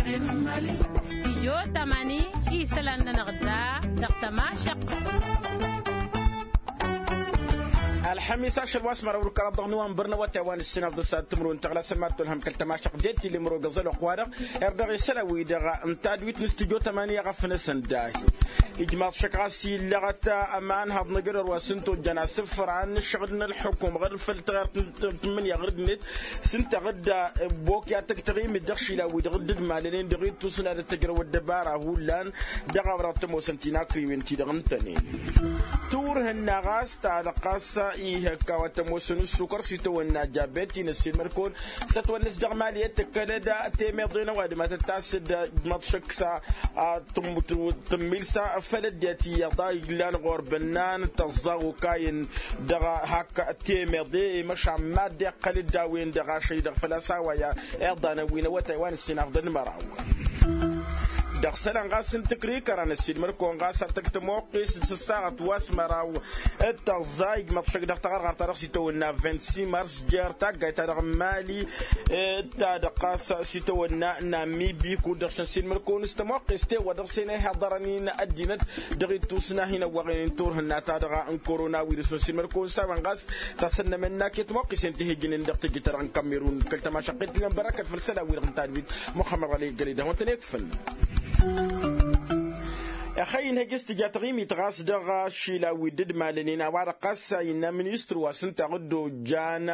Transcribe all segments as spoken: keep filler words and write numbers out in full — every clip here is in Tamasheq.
Stijyo tamani isălan-nănăɣ da dăɣ-tămašăqqa. Ălxămis ašăl wa s-măraw d-kăraḍ dăɣ-năwănbăr n-awătay wa n-ǝssinăḍ d-ăsad timǝrwen tăɣlasăn ma t-tolhăm kăl-tămašăq d-e-t-illa imrogăẓ ălwăqq-wa-dăɣ. Erdăɣ isălan-wi-dăɣ n-tadwit n-stijyo tamani a ɣăfnăsăn dahi. Ijmaḍ šăkk ɣas illăɣăt ămanhăḍ n-ajădor wa s-ǝnta ojjan asǝfran n-ǝššăɣǝl n-ălxukum ɣǝr făll-tăɣert n-tǝmmǝnǝya ɣǝr-net s-ǝnta ɣǝdda. Bokya tăgg-taɣimit dăɣ-išilan-wi-dăɣ dd-ǝdmalănen dăɣ-ittus n-ad-ăttăjrăw ăddăbara hullan dăɣ-a-wa dăɣ-tămoosăn tinakriwen-ti-dăɣ ǝntănen. Turhǝnna ɣas ta dăɣ-ɣas ihăkk a-wa tămoosăn ǝssukăr s-itawănna jabet-in ăssiilmăd-kăwăn s-ătwănnăs dăɣ-mali i-tǝkkălăd temeḍe n-ăwadǝm ad-tăt-tasǝd. Măḍšăk s-a tǝmmǝl s-a făl ăddinăt iyyăḍ a illan ɣur-bănnan tăẓẓa okayăn dăɣ-hak temeḍe i-măšan mad-iqqăl-dd a-wen-dăɣ ašăl-i-dăɣ făl-a-s a-wa i-iḍanăn wi n-awătay wa n-ǝssin afḍăn măraw. Dăɣ-isălan ɣas n-tǝkrikăra n-ăssiilmăd-kăwăn ɣas ad-tăj tămoqqes s-ăssaɣăt wa s-măraw d-tăẓẓa ijmăḍ šăkk dăɣ-taɣărɣart-ta-dăɣ s-itawănna vint-six mars jer-taggayt-ta-dăɣ n-mali. Ta-dăɣ ɣas s-itawănna n-amibi kud-dăɣ šăn s-ilmăd-kăwăn s-tămoqqes tewăr dăɣ-sen a ihaḍărăn-in ăddinăt dăɣ-ittusna hin-ăwwăɣen turhǝnna-ta-dăɣ n-korona wirǝs n-ăssiilmăd-kăwăn s-a-wen ɣas tasănnămăn n-ak i-tămoqqesen ti hi-ǝjǝnen dăɣ-tejǝt-ta-dăɣ n-kammerun kăl-tămašăqqet-ti-năn bărăkăt făll-isălan-wi-dăɣ n-tadwit muxămmăd ɣăli gălidăh wăn-tăn-ekfăn. Ăxăy-in hăj-s tǝja taɣimit ɣas dăɣ-ašila wi dd-malănen a-wa-dăɣ ɣas a innă ministăr wa s-ǝnta dd-ojjan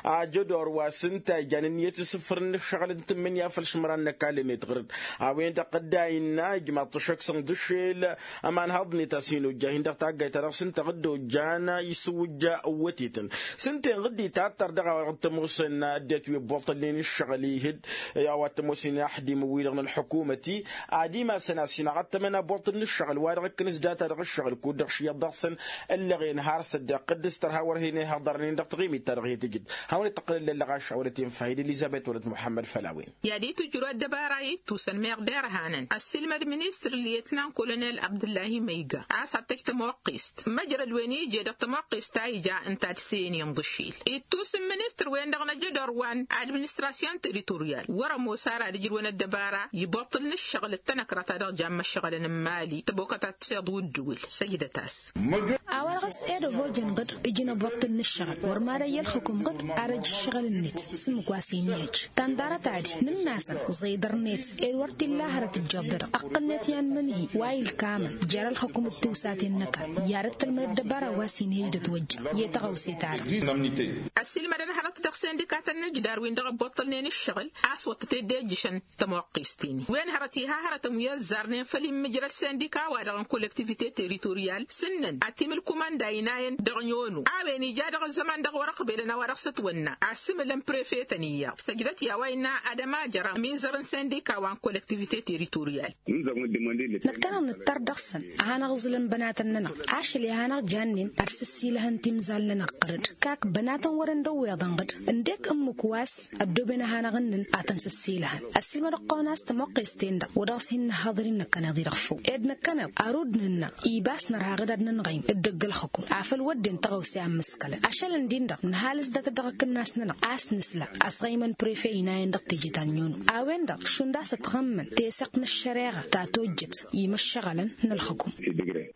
ajădor wa s-ǝnta ijan ǝnniyăt s-ǝfrǝn n-ǝššăɣǝl n-tǝmmǝnǝya făll-išmăran n-ăkall-net ɣǝr-dd. A-wen-dăɣ dd-a innă ijmaḍ-t ašăk s-ănḍǝšel ămanhăḍ-net a-s hin-ojja hin-dăɣ taggayt-ta-dăɣ s-ǝnta dd-ojjan isǝwǝjja ăwwătetăn s-ǝnta-en ɣǝdd-itattăr dăɣ-a-wa dăɣ-tămoosăn ăddinăt wi ăbbuṭălnen ǝššăɣǝl ihǝd. I-a-wa t-ămoosăn inaxdim wi-dăɣ n-ălḥukumăt-i ad-imasăn a-s inaɣăttămăn abuṭǝl n-ǝššăɣǝl wa dăɣ-ǝkkǝnǝs data dăɣ-ǝššăɣǝl kud-dăɣ šiyăḍ dăɣ-săn. Ǝllăɣen har s-ăddiqqǝd s-tărha wăr hin-ihăḍărnen dăɣ-taɣimit-ta-dăɣ i-tǝjǝd. Hawăn-dd-tăqqǝlăn lăllăɣaš a wălăt-in fahid elizăbet wălăt muḥămmăd făll-a-wen. I-ad-itǝjjǝru ăddăbara i-ǝttusăn meɣ derhan ăssiilmăd ministăr lietnan kolonel abdǝllahi măyga a-s ad-tăj tămoqqest măjrăd wen ije dăɣ-tămoqqest ta ija ǝnta ad-săyăn inḍǝšil. Ittus n-ministăr-wen-dăɣ n-ajădor wa n-administrasyon teritoryal wăr-ămoos ara ad-ǝjrǝwăn ăddăbara i-iboṭṭǝl n-ǝššăɣǝl d-tanăkra-ta-dăɣ jammăššăɣǝlăn n-imali tăbokăt ad-tiseḍ wǝddǝwǝl. Săjdăt-as. A-wa dăɣ-s ed ăbojăn ɣǝd ǝjǝn aboṭṭǝl n-ǝššăɣǝl wăr mad-ăyy ălxǝkum ɣǝd. Ar ăj ǝššăɣǝl-net s-ǝmmǝk wa s-inǝjj tănḍarăt ad-nǝnn'-asăn ẓiḍăr-net ed wăr t-illa hărăt ǝjjoḍ-dăɣ ăqqǝl-net i-anmǝnhǝy wa ilkamăn jer-ălxǝkum d-tiwsaten n-ăkall i-ad-ăttălmăd ăddăbara wa s-inǝjj d-ătwăjja i-taɣăwse-ta-dăɣ. Ăssiilmădăn hărăt dăɣ-sindikatăn n-ǝjdar-win-dăɣ ăbboṭṭălnen ǝššăɣǝl a-s wăr tăt-dd-ejjǝšăn tămoqqest-in-i wen hărăt iha hărătăn wi ăzzarnen făll-immǝjrăd sindika-wa-dăɣ n-kollektivite teritoryal s-ǝnnăn ad-t-imǝl kumănda inayăn dăɣ-nyono a-wen ija dăɣ-ăzzăman dăɣ-wăr-ăqbelăn a-wa dăɣ-s ătwănna asǝmǝlăn prefetăn iyyăḍ săjdăt i-a-wa innă ad-ămajăr amizăr n-sindika wa n-kollektivite teritoryal. Năkkăneḍ nǝttăr dăɣ-săn a hanăɣ-ǝẓǝlăn bănatăn-nănăɣ ašăl i-ad-hanăɣ-jannen ad-sǝssilăhăn timzal-nănăɣ ɣǝr-dd kak bănatăn wăren d-ăwweḍăn ɣǝd ǝndek ǝmmǝk wa s-ăddooben ad-hanăɣ-ǝnnǝn ad-tăn-sǝssilăhăn. Ăssiilmădăɣ-kăwăn a-s tămoqqes-ten-dăɣ wa dăɣ-s hin-nǝhhăḍăr-in năkkăneḍ-i-dăɣ făw ed năkkăneḍ arud nǝnna ibas nărha ɣǝd ad-nǝnɣăyǝn dd-ăgg-ălxǝkum afăl wădden tăɣawse a ǝmmǝskălăn ašăl ǝndin-dăɣ nǝhalǝs datăt dăɣ-akǝnnas-nănăɣ a-s nǝsla ăsɣăymăn prefe inayăn dăɣ-teje ta n-nyono a-wen-dăɣ šund a-s ătɣămmăn teseɣt n-ăššăreɣa ta tojjăt i-imăššăɣălăn n-ălxǝkum.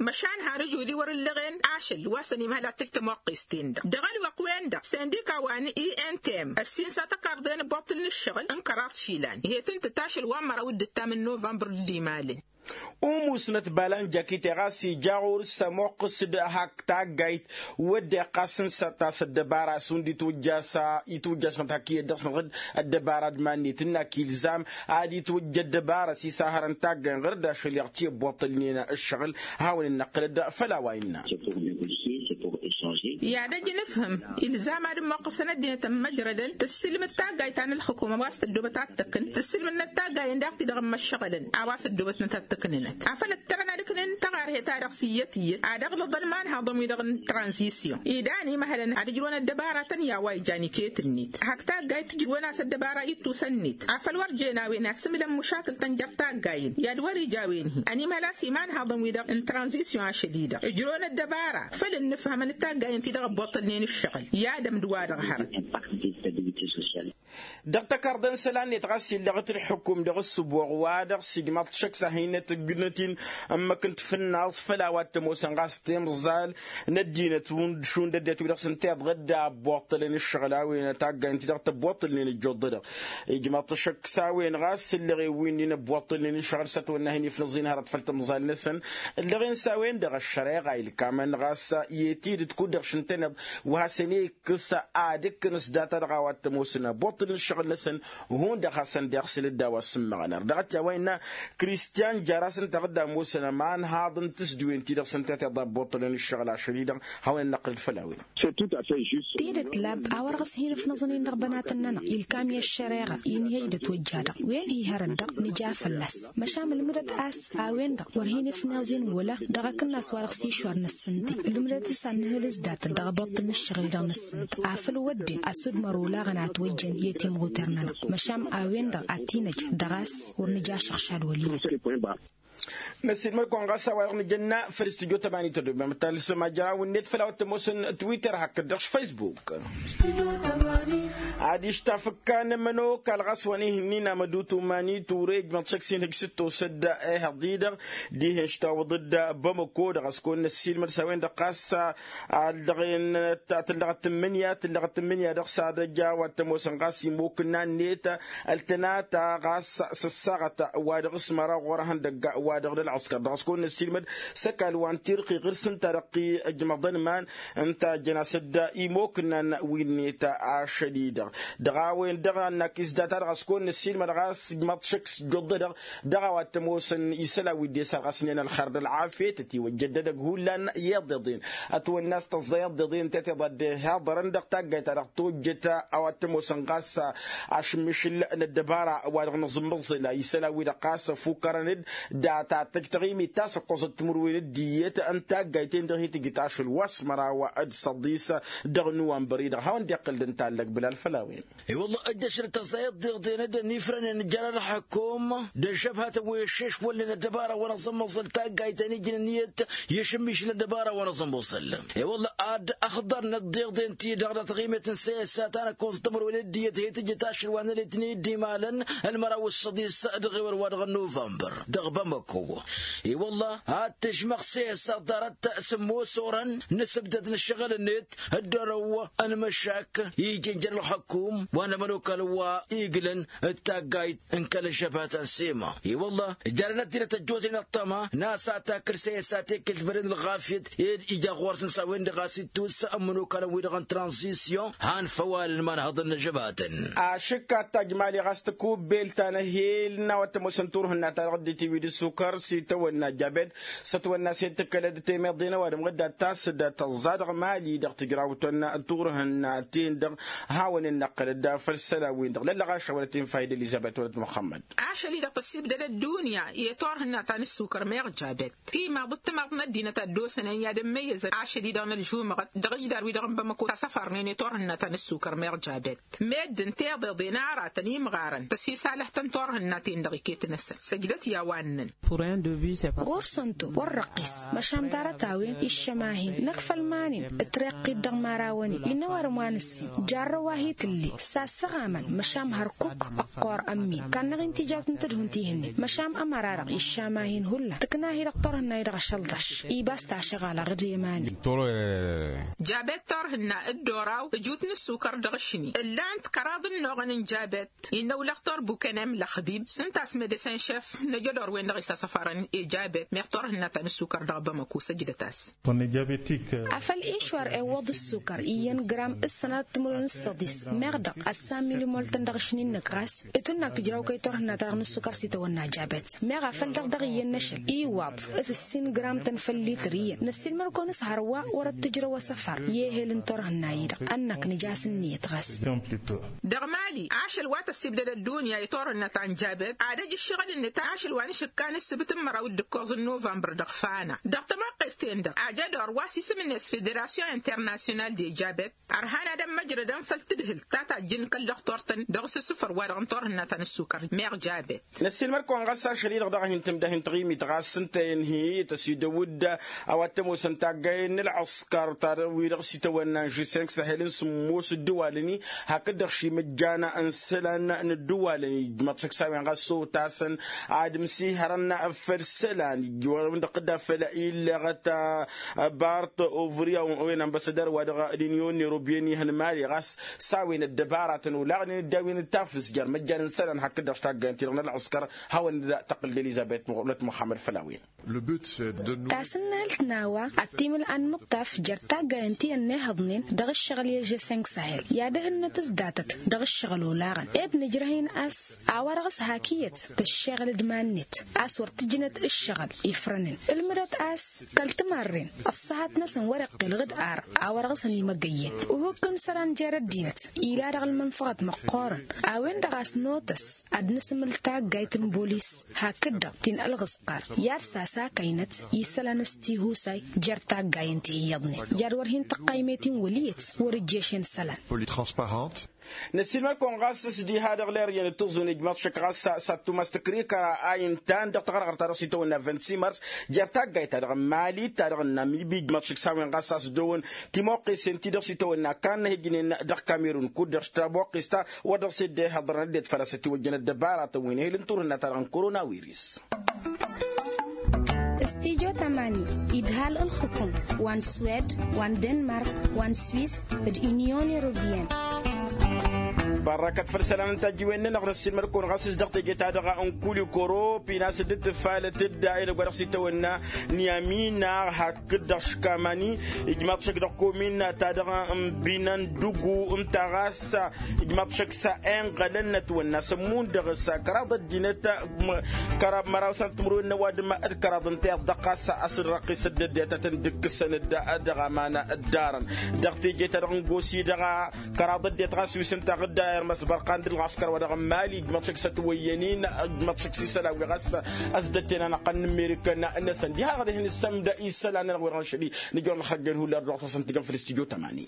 Măšan har ǝjudi wăr-ǝllăɣen ašăl wa s-ănimhăl ad-tǝj tămoqqest-ten-dăɣ dăɣ-ălwăqq-wen-dăɣ sindika wa n-intm ăssiinsa tăkarḍe n-ăbboṭṭǝl n-ǝššăɣǝl n-kăraḍ išilan ihi tǝntǝt ašăl wa n-măraw d-ǝttam n-novămbăr dd-imalăn. Umusnăt balanjakite ɣas ija ɣur-s ămoqqǝs d-hak taggayt wădden ɣas n-săt a-s ăddăbara šund itwǝjja s-a itwǝjja s-năt hak iyyăt dăɣ-s năɣ-dd ăddăbara d-iman-net ǝnn'-ak ilzam ad-itwǝjja ăddăbara s-isahărăn taggay n-ɣăr-dd ašăl iɣ t-iyyăt boṭṭălnen ǝššăɣǝl. Hawăn-dd-năqqǝlăd făll-a-wa innă. I-ad-ăj nǝfhǝm ilzam ad-ămmoqqăsăn ăddinăt ămmăjrădăn tǝssǝlmǝd taggayt ta n-ǝlxǝkum a-wa s-tăddoobăt ad-tăkn tǝssǝlmǝdnăt taggayen daɣ-ti-dăɣ ămmăššăɣǝlăn a-wa s-ăddoobătnăt ad-tăknǝnăt afăl ǝttărăn ad-ǝknen tăɣarhe-ta-dăɣ s-iyyăt iyyăt ad-ăɣlăḍăn imanhaḍăn-wi-dăɣ n-tranzisyon idan imhălăn ad-ǝjrǝwăn ăddăbaratăn i-a-wa ijan iket-net hak taggayt ǝjrǝwăn-as ăddăbara ittusăn-net afăl wăr jen a-wen asǝmǝlăn mušakǝl-tăn jer-taggayen i-ad-wăr-ija a-wen-hi ănimhăl a-s imanhaḍăn-wi-dăɣ n-tranzisyon ašăl-i-dăɣ ǝjrǝwăn ăddăbara făl ǝnnǝfhămăn d-taggayen-ti. dăɣ-ăbbuṭṭălnen ǝššăɣǝl i-ad-ămdǝwa-dăɣ hărăt. Dăɣ-tăkarḍe n-isălan-net ɣas illăɣ-t ǝlḥǝkum dăɣ-ǝssǝboɣ wa-dăɣ s-ijmaḍ-t šăkk s-ad-hin-net ǝggǝnăt-in ǝmmǝk n-tafǝnnaḍt făll-a-wa t-ămoosăn ɣas timẓal n-ăddinăt šund ăddinăt wi-dăɣ s-ǝnta iḍɣǝd abbuṭṭălăn ǝššăɣǝl a-wen taggay ǝnta-dăɣ tăbbuṭṭălnen ǝjjuḍ-dăɣ. Ijmaḍ-t šăkk s-a-wen ɣas ǝllăɣen wi-nin ăbbuṭṭălnen ǝššăɣǝl s-ătwănna hin-ifnǝẓ-in hărăt făll-timẓal-năsăn. Ǝllăɣen s-a-wen-dăɣ ăššăreɣa ilkamăn ɣas i-tidǝt kud-dăɣ šǝntăneḍ wa hasăn-e-ikkǝs ad-ǝkkǝn s-data-dăɣ a-wa t-ămoosăn abbuṭṭǝlnen ǝššăɣǝl-năsăn. Hundăɣ hasăn-dd-iɣsǝl dd-a-wa s-ǝmmăɣăn ar dăɣ-t i-a-wa innă kristian jar-as ǝnta dăɣ-dd-ămoosăn ămanhaḍ n-tǝsdǝwen-ti-dăɣ s-ǝnta tiḍa ăbbuṭṭǝlnen ǝššăɣǝl ašăl-i-dăɣ. Hawăn-in-năqqǝlăd făll-a-wen. Tidǝt lab a-wa dăɣ-s hin-ǝfnăẓăn-in dăɣ-bănatăn-nănăɣ ilkam i-ăššăreɣa inhăj d-ătwăjja-dăɣ wen hi-hărăt-dăɣ nǝja fălla-s. Măšan ǝlmǝdăt a-s a-wen-dăɣ wăr hin-ǝfnăẓ-in wăla dăɣ-akǝnnas wa dăɣ-s išwar n-ǝssǝnti. Ǝlmǝdăt s-ad-nǝhǝl s-datăt dăɣ-abuṭṭǝl n-ǝššăɣǝl-i-dăɣ n-ǝssǝnt afăl wădden ăsudmăr olaɣăn a ătwăjjăn i-timɣuter-nănăɣ. Măšan a-wen-dăɣ ad-t-inăj dăɣ-a-s wăr nǝja ašăɣšad wăl' iyyăn. Năsiilmăd-kăwăn ɣas a-wa-dăɣ nǝjănna făll-s tǝjot ămani tădobem talsăm ajăraw-net făll-a-wa t-ămoosăn twitter hakd-dăɣ s-facebook. Adiš tafǝkka n-ămănokal ɣas wa n-ihǝnnin amădutu mani ture ijmăḍ šăkk s-inhǝj s-dd-tosăd ehăḍ-i-dăɣ dihen s-tawǝḍ-dd bamăko-dăɣ ăskăwăn năssiilmăd s-a-wen-dăɣ ɣas ad-dăɣ-en tǝllăɣăt tǝmmǝnǝya tǝllăɣăt tǝmmǝnǝya dăɣ-s ad-ăj a-wa t-ămoosăn ɣas imokǝnna-net. Ăltănata ɣas s-ăssaɣăt wa dăɣ-s măraw ɣur-ehăndăgg wa dăɣ-nălɣăskăr dăɣ-s kăwăn-năssiilmăd s-ăkall wa n-tirɣiɣ ǝrs ǝnta-dăɣ ti ǝjmăḍăn iman ǝnta ăjjăn-as-dd imokǝnnan wi-net ašăl-i-dăɣ. Dăɣ-a-wen-dăɣ ănnăk isdata-dăɣ a-s kăwăn-năssiilmăd ɣas ǝjmăḍ šăkk s-ijjuḍ-dăɣ. Dăɣ-a-wa t-ămoosăn isălan wi dd-e-sărɣăsnen ălxer d-ălɣafyăt ătiwăjjăd edăgg hullan i-iḍeḍen ătwănna a-s tăẓẓa i-iḍeḍen tet iḍa dd-ihaḍărăn dăɣ-taggayt-ta-dăɣ tojjăt. A-wa t-ămoosăn ɣas ašǝmmišǝl n-ăddăbara wa dăɣ-nǝẓǝmmăẓǝl isălan-wi-dăɣ ɣas ăfukărăn-dd data tăjj taɣimit ta s-ăkkoẓăt timǝrwen d-iyyăt n-taggayt-en-dăɣ hi-tǝjǝt ašăl wa s-măraw d-săḍis dăɣ-nuwănbăr-i-dăɣ hawăn-dd-iqqǝl d-ǝntallăg bǝlal făll-a-wen. I-wălla ăjjăšrăt tăẓẓayăt d-iḍeḍen-dd ănnifrănen jer-ălḥăkum d-ăžžăbhatăn wi ăššešwălnen ăddăbara wa n-aẓǝmmăẓǝl taggayt ta n-ijnăn iyyăt i-ašǝmmišǝl n-ăddăbara wa n-aẓǝmmăẓǝl. I-wălla ad-ăxḍărnăt d-iḍen-ti-dăɣ dăɣ-taɣimet n-seyăssa ta n-ăkkoẓăt timǝrwen d-iyyăt hi-tǝjjǝt ašăl wa n-ălitni d-imalăn ălmăraw s-săḍis dăɣ-ewăl wa dăɣ-nuvănbăr dăɣ-bamăko. I-wălla ad-tǝžmăɣ seyăssa ḍarăt sǝmmos orăn n-asǝbdăd n-ǝššăɣǝl-net dd-orăw ănmăšak ijăn jer-ălxăkum wa n-ămănokal wa iglăn d-taggayt n-kăl-ăžžăbhat ănsema. I-wălla jarăn ăddinăt ăjjootnen ăṭṭăma n-a-s ad-takǝl seyăssa tekkelt băren ălɣafyăt ed ija ɣur-săn s-a-wen-dăɣ a-s ittus ămănokalăn-wi-dăɣ n-tranzisyon han făw-alăn imanhăḍăn n-ažăbatăn. Ašǝkka tajmali ɣas tăkubbelt ta n-ehel n-a-wa t-ămoosăn turhǝnna-ta-dăɣ dd-itiwid ǝssukăr s-itawănna jabet s-ătwănna s-e-d tǝkkălăd temeḍe n-ăwadǝm ɣǝdda tasǝd tăẓẓa dăɣ-mali dăɣ-tǝjrawt n-turhǝnna-ten-dăɣ. Hawăn-in-năqqǝlăd făll-isălan-win-dăɣ lăllăɣaš a wălăt-in fayda elizăbet wălăt muxămmăd. Ašăl-i-dăɣ tăssibdăd ăddunya i-turhǝnna ta n-ǝssukăr meɣ jabet timaḍ d-timaḍt n-ăddinăt a dd-osăn ăyyad n-măyyăzăt ašăl-i-dăɣ n-ălžumăɣăt dăɣ-ijdar-wi-dăɣ n-bamăko tasăfarnen i-turhǝnna ta n-ǝssukăr meɣ jabet. Meddǝn tiḍeḍen aratăn imɣarăn tăsisalăhtăn turhǝnna-ten-dăɣ iket-năsăn săjdăt i-a-wa ǝnnăn. Ɣur-săn-to wăr răqqis măšan ḍarăt-a-wen iššăm-ahin năkk făll-iman-in. Ǝtreqqit dăɣ-imărawăn-in innă ăwadǝm wa nǝssin jarrăw wa hi-tǝlle. Sassăɣamăn măšan hărkuk ăqqor ămmin kannăɣ-in tijawt n-tadhun tihǝnnin măšan ămăra-dăɣ iššam-ahin hullan tǝkna-hi-dăɣ turhǝnna-i-dăɣ ašălḍăš. Ibas tašăɣalăɣ d-iman-in. Jabet turhǝnna dd-oraw ǝjut n-ǝssukăr dăɣ-ašni ǝllan-t kăraḍ n-inoɣăn n-jabet. Innă ulăxtor bukenem lăxbib s-ǝnta a-s medesen šef n-ejădor-wen-dăɣ isasăfarăn ejabet meɣ turhǝnna ta n-ǝssukăr dăɣ-bamăko săjdăt-as. Afăl išwar iwwăḍ ǝssukăr iyyăn gram d-sănatăt timǝrwen d-săḍis meɣ dăɣ-ăssan milimoltăn dăɣ-ašni-năk ɣas ǝtwănna ag tǝjraw kăy-turhǝnna ta dăɣ-nǝssukăr s-itawănna jabet. Meɣ afăl dăɣ-dăɣ iyyăn n-ašăl iwwaḍ s-ǝssin gram-tăn făll-lităr iyyăn năssiilmăd-kăwăn s-hărwa wăr-ăttǝjrăw asăfar i-ehel n-turhǝnna-i-dăɣ ănnăk nǝj'-as ǝnniyăt ɣas. Dăɣ-mali ašăl wa tăssibdăd ăddunya i-turhǝnna ta n-jabet ad-ăj ǝššăɣǝl-net ašăl wa n-ašǝkka. săbăt n-măraw d-ǝkkoẓ n-novămbăr dăɣ-fana dăɣ-tămoqqest-en-dăɣ ajădor wa s-isǝm-net federasyon internasyonal de jabet. Ărhan ad-ămmăjrădăn făll-tadhǝlt ta tajjǝn kăl-dăɣ-turtăn dăɣ-s asǝfăr wa dăɣ-n turhǝnna ta n-ăssukăr meɣ jabet. Năssiilmăd-kăwăn ɣas ašăl-i-dăɣ dăɣ-hin-tǝmdăh n-taɣimit ɣas ǝnta i-ănhǝyăt ăsidăw-dd a-wa t-ămoosăn taggayen n-ălɣǝskăr ta dăɣ-wi-dăɣ s-itawănna n-žisănk săhel n-sǝmmos ǝddǝwalăn-i hakd-dăɣ šimǝjjan n-isălan n-ǝddǝwalăn-i ijmăḍ šăkk s-a-wen ɣas s-ottasăn ad-ǝmsihărăn făll-isălan ijwărăn dăɣ-tǝdda făll-illăɣăt bart ovriya wen ambăsădăr wa dăɣ-linyon n-erobyen ihăn mali ɣas s-a-wen ăddăbaratăn olaɣnen dd-a-wen d-taflǝs jer-imăjjan n-isălan hakd-dăɣ s-taggayăn-ti-dăɣ n-ălɣǝskăr. Hawăn-dd-tăqqǝl d-elizăbet muɣlăt muxammăd făll-a-wen. Tasǝnnalt n-a-wa ad-timǝl'a n-imǝṭṭaf jer-taggayăn ti ănnihăḍnen dăɣ-ǝššăɣǝl i-ežeseng sahel i-ad-ehǝnnăt s-datăt dăɣ-ǝššăɣǝl olaɣăn ed nǝjrăh-in a-s a-wa dăɣ-s hak iyyăt tǝššeɣǝl d-iman-net a-s wăr tǝjnăt ǝššăɣǝl ifrănen ǝlmǝdăt a-s kăl-timarren ăṣṣăhat-năsăn wăr-iqqel ɣǝd ar a-wa dăɣ-s ănimăgăyyen. Uhǝkk n-isălan jer-ăddinăt ila dăɣ-ălmănfăɣăt măqqoorăn a-wen-dăɣ a-s notăs ad-nǝsǝmǝl taggayt n-bolis hakd-dăɣ ti n-ălɣǝskăr i-ad-sasakaynăt isălan s-tihusay jer-taggayen ti hi-iyyăḍnen i-ad-wăr hin-tăqqaymet-in wăl' iyyăt wăr-ǝjješen isălan. Năssiilmăd-kăwăn ɣas s-diha dăɣ-leryen d-tǝẓẓun ijmaḍ šăkk ɣas s-ad-tumas tǝkrikăra a intan dăɣ-taɣărɣărt ta dăɣ-s itawănna vingt-six mars jer-taggayt ta dăɣ-mali ta dăɣ-namibi ijmaḍ šăkk s-a-wen ɣas a-s dd-ăwăn timoqqesen ti dăɣ-s itawănna kannăh ijnen dăɣ-kamerun kud-dăɣ s-tamoqqes ta wăr dăɣ-s dd-ihăḍrăn ăddinăt făl-a-s ătiwăjjăn ăddăbaratăn wi n-ehǝl n-turhǝnna ta dăɣ-n korona wiris. Studyo tamani idhal ǝlxǝkum wa n-swed wa n-denmark wa n-swis d-unyon europeyăn. Bărrăkăt făll-isălan n-tajjiwen-nănăɣ năssiilmăd-kăwăn ɣas s-dăɣ teje-ta-dăɣ n-kulikoro pinas dd-tǝfalăt dd-a edăgg wa dăɣ-s itawănna n-iamina hak kǝddaɣ škamani ijmaḍ šăkk dăɣ-komin ta dăɣ-n binăn dugu ǝnta ɣas ijmaḍ šăkk s-a inɣălăn n-ătwănna s-ămmun dăɣ-s kăraḍ ăddinăt kăraḍ măraw s-ad-tǝmrǝwen n-ăwadǝm d-kăraḍ ǝnta iḍ dăɣ-ɣas a-s dd-răqqis ăddăddiyăt ad-tăn-dd-ǝkkǝsăn dăɣ-aman ăddarăn dăɣ-teje-ta-dăɣ n-gosi dăɣ-a kăraḍ ăddinăt ɣas wi s-ǝnta ɣǝdda irmăs bărqan d-ǝlɣaskăr wa dăɣ-n mali ijmaḍ šăkk s-ătwăyyăn-in ijmaḍ šăkk s-isălan wi ɣas a-s dd-ătten anăqqăn n-amerikăn-năsăn diha-dăɣ dăɣ-hin-ǝssămdă isălan-nănăɣ wi-dăɣ n-ašăl-i nǝjor n-ăxrăjjăn hullan dăɣ-tusăn tǝjăn făll-studyo tamani.